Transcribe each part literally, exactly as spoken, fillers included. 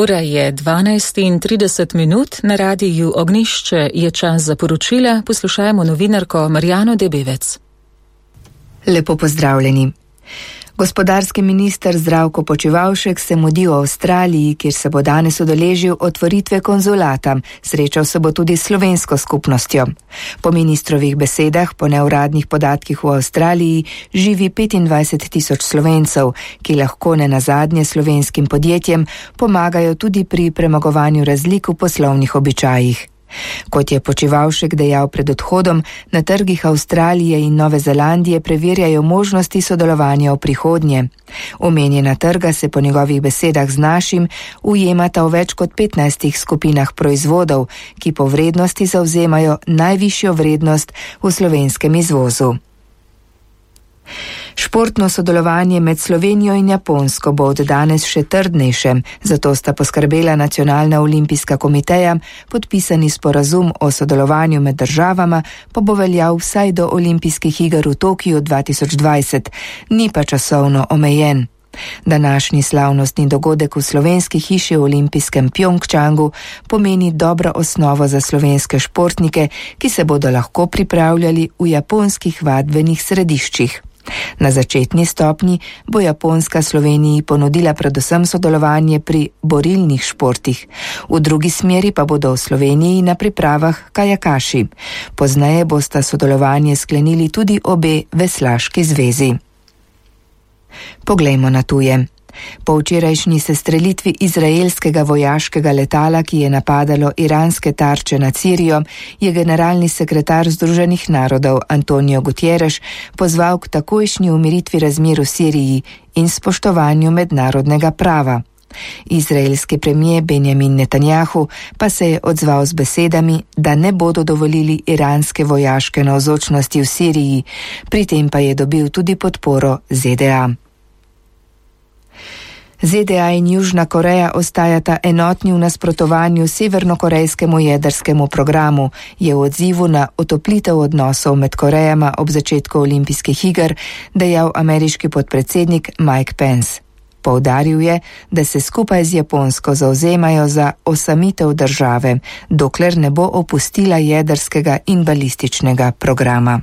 Ura je dvanajst in trideset minut, na radiju Ognjišče je čas za poročila, poslušajmo novinarko Marjano Debevec. Lepo pozdravljeni. Gospodarski minister Zdravko Počivalšek se mudi v Avstraliji, kjer se bo danes udeležil otvoritve konzulata. Srečal se bo tudi s slovensko skupnostjo. Po ministrovih besedah, po neuradnih podatkih v Avstraliji, živi petindvajset tisoč Slovencev, ki lahko nenazadnje slovenskim podjetjem pomagajo tudi pri premagovanju razlik v poslovnih običajih. Kot je Počivalšek dejal pred odhodom, na trgih Avstralije in Nove Zelandije preverjajo možnosti sodelovanja v prihodnje. Omenjena trga se po njegovih besedah z našim ujemata v več kot petnajstih skupinah proizvodov, ki po vrednosti zavzemajo najvišjo vrednost v slovenskem izvozu. Športno sodelovanje med Slovenijo in Japonsko bo od danes še trdnejše, zato sta poskrbela Nacionalna olimpijska komiteja, podpisani sporazum o sodelovanju med državama pa bo veljal vsaj do olimpijskih iger v Tokiju dva tisoč dvajset, ni pa časovno omejen. Današnji slavnostni dogodek v slovenski hiši v olimpijskem Pjongčangu pomeni dobro osnovo za slovenske športnike, ki se bodo lahko pripravljali v japonskih vadbenih središčih. Na začetni stopnji bo Japonska Sloveniji ponudila predvsem sodelovanje pri borilnih športih, v drugi smeri pa bodo v Sloveniji na pripravah kajakaši. Pozneje bosta sodelovanje sklenili tudi obe veslaški zvezi. Poglejmo na tuje. Po včerajšnji sestrelitvi izraelskega vojaškega letala, ki je napadalo iranske tarče nad Sirijo, je generalni sekretar Združenih narodov Antonio Guterres pozval k takojšnji umiritvi razmer v Siriji in spoštovanju mednarodnega prava. Izraelski premijer Benjamin Netanjahu pa se je odzval z besedami, da ne bodo dovolili iranske vojaške navzočnosti v Siriji, pri tem pa je dobil tudi podporo Z D A. Z D A in Južna Koreja ostajata enotni v nasprotovanju severnokorejskemu jedrskemu programu, je v odzivu na otoplitev odnosov med Korejama ob začetku olimpijskih iger dejal ameriški podpredsednik Mike Pence. Poudaril je, da se skupaj z Japonsko zavzemajo za osamitev države, dokler ne bo opustila jedrskega in balističnega programa.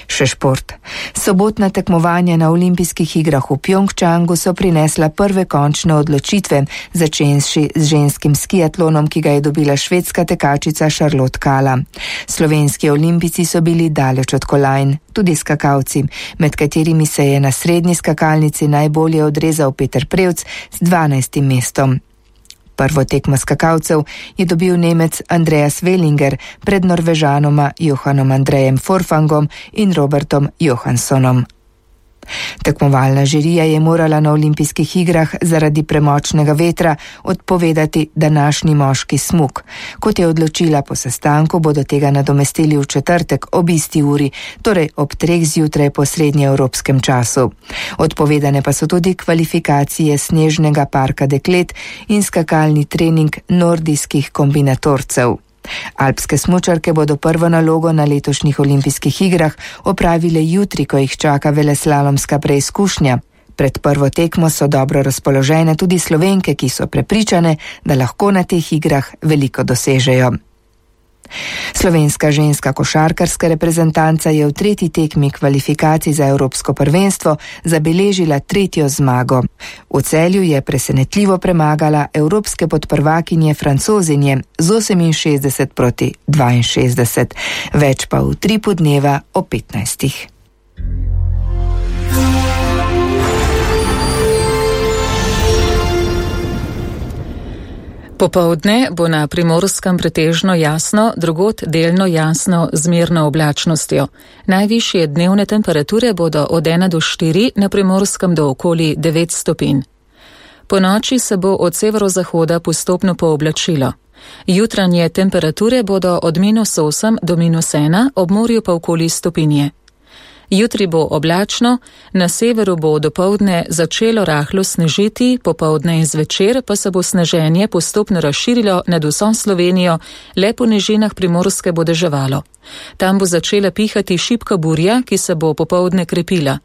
Še šport. Sobotna tekmovanja na olimpijskih igrah v Pjongčangu so prinesla prve končne odločitve, začenši z ženskim skiatlonom, ki ga je dobila švedska tekačica Charlotte Kalla. Slovenski olimpijci so bili daleč od kolajn, tudi skakalci, med katerimi se je na srednji skakalnici najbolje odrezal Peter Prevc z dvanajstim mestom. Prvo tekmo skakalcev je dobil Nemec Andreas Wellinger pred Norvežanoma Johanom Andrejem Forfangom in Robertom Johanssonom. Tekmovalna žirija je morala na olimpijskih igrah zaradi premočnega vetra odpovedati današnji moški smuk. Kot je odločila po sestanku, bodo tega nadomestili v četrtek ob isti uri, torej ob treh zjutraj po srednjeevropskem času. Odpovedane pa so tudi kvalifikacije snežnega parka deklet in skakalni trening nordijskih kombinatorcev. Alpske smučarke bodo prvo nalogo na letošnjih olimpijskih igrah opravile jutri, ko jih čaka veleslalomska preizkušnja. Pred prvo tekmo so dobro razpoložene tudi Slovenke, ki so prepričane, da lahko na teh igrah veliko dosežejo. Slovenska ženska košarkarska reprezentanca je v tretji tekmi kvalifikacij za Evropsko prvenstvo zabeležila tretjo zmago. V Celju je presenetljivo premagala evropske podprvakinje Francozinje z oseminšestdeset proti dvainšestdeset, več pa v tripu dneva o petnajstih. Popoldne bo na Primorskem pretežno jasno, drugod delno jasno z mirno oblačnostjo. Najvišje dnevne temperature bodo od ena do štiri, na Primorskem do okoli devet stopinj. Po noči se bo od severozahoda postopno pooblačilo. Jutranje temperature bodo od minus osem do minus ena, ob morju pa okoli stopinje. Jutri bo oblačno, na severu bo dopoldne začelo rahlo snežiti, popoldne in zvečer pa se bo sneženje postopno razširilo nad vso Slovenijo, le po nižinah Primorske bo deževalo. Tam bo začela pihati šibka burja, ki se bo popoldne krepila.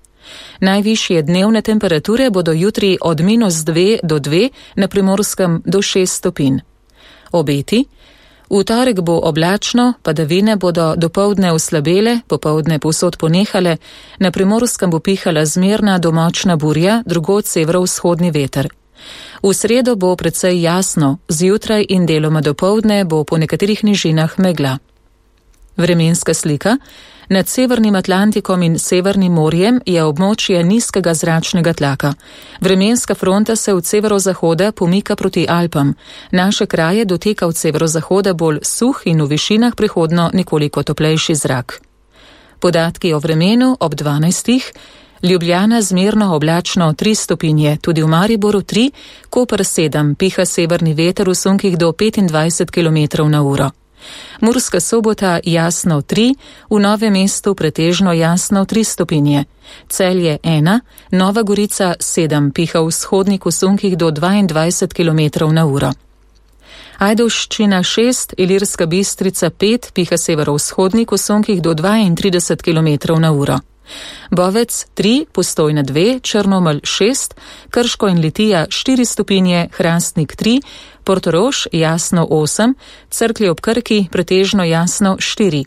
Najvišje dnevne temperature bodo jutri od minus dve do dve, na Primorskem do šest stopinj. Obeti. V torek bo oblačno, padavine bodo dopoldne oslabele, popoldne povsod ponehale, na Primorskem bo pihala zmerna do močna burja, drugod severovzhodni veter. V sredo bo precej jasno, zjutraj in deloma dopoldne bo po nekaterih nižinah megla. Vremenska slika. Nad Severnim Atlantikom in Severnim morjem je območje nizkega zračnega tlaka. Vremenska fronta se od severozahoda pomika proti Alpam. Naše kraje doteka od severozahoda bolj suh in v višinah prihodno nekoliko toplejši zrak. Podatki o vremenu ob dvanajstih. Ljubljana zmerno oblačno tri stopinje, tudi v Mariboru tri, Koper sedem, piha severni veter v sunkih do petindvajset kilometrov na uro. Murska Sobota jasno tri, v Novem mestu pretežno jasno tri stopinje. Celje ena, Nova Gorica sedem, piha v vzhodnik v sunkih do dvaindvajset kilometrov na uro. Ajdovščina šest, Ilirska Bistrica pet, piha severovzhodnik v sunkih do dvaintrideset kilometrov na uro. Bovec tri, Postojna dve, Črnomelj šest, Krško in Litija štiri stopinje, Hrastnik tri, Portorož jasno osem, Cerklje ob Krki pretežno jasno štiri.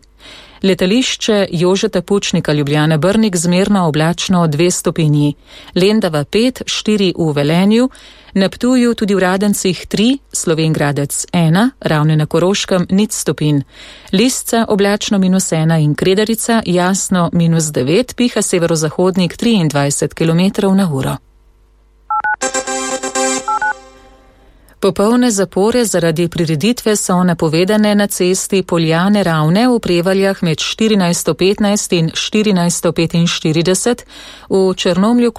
Letališče Jožeta Pučnika Ljubljana Brnik zmerno oblačno dve stopinji. Lendava pet, štiri v Velenju, na Ptuju tudi v Radencih tri, Slovenj Gradec ena, Ravne na Koroškem nič stopinj. Lisca oblačno minus ena in Kredarica jasno minus devet, piha severozahodnik triindvajset kilometrov na uro. Popolne zapore zaradi prireditve so napovedane na cesti Poljane Ravne v Prevaljah med štirinajsto petnajst in štirinajsto petinštirideset, v Črnomlju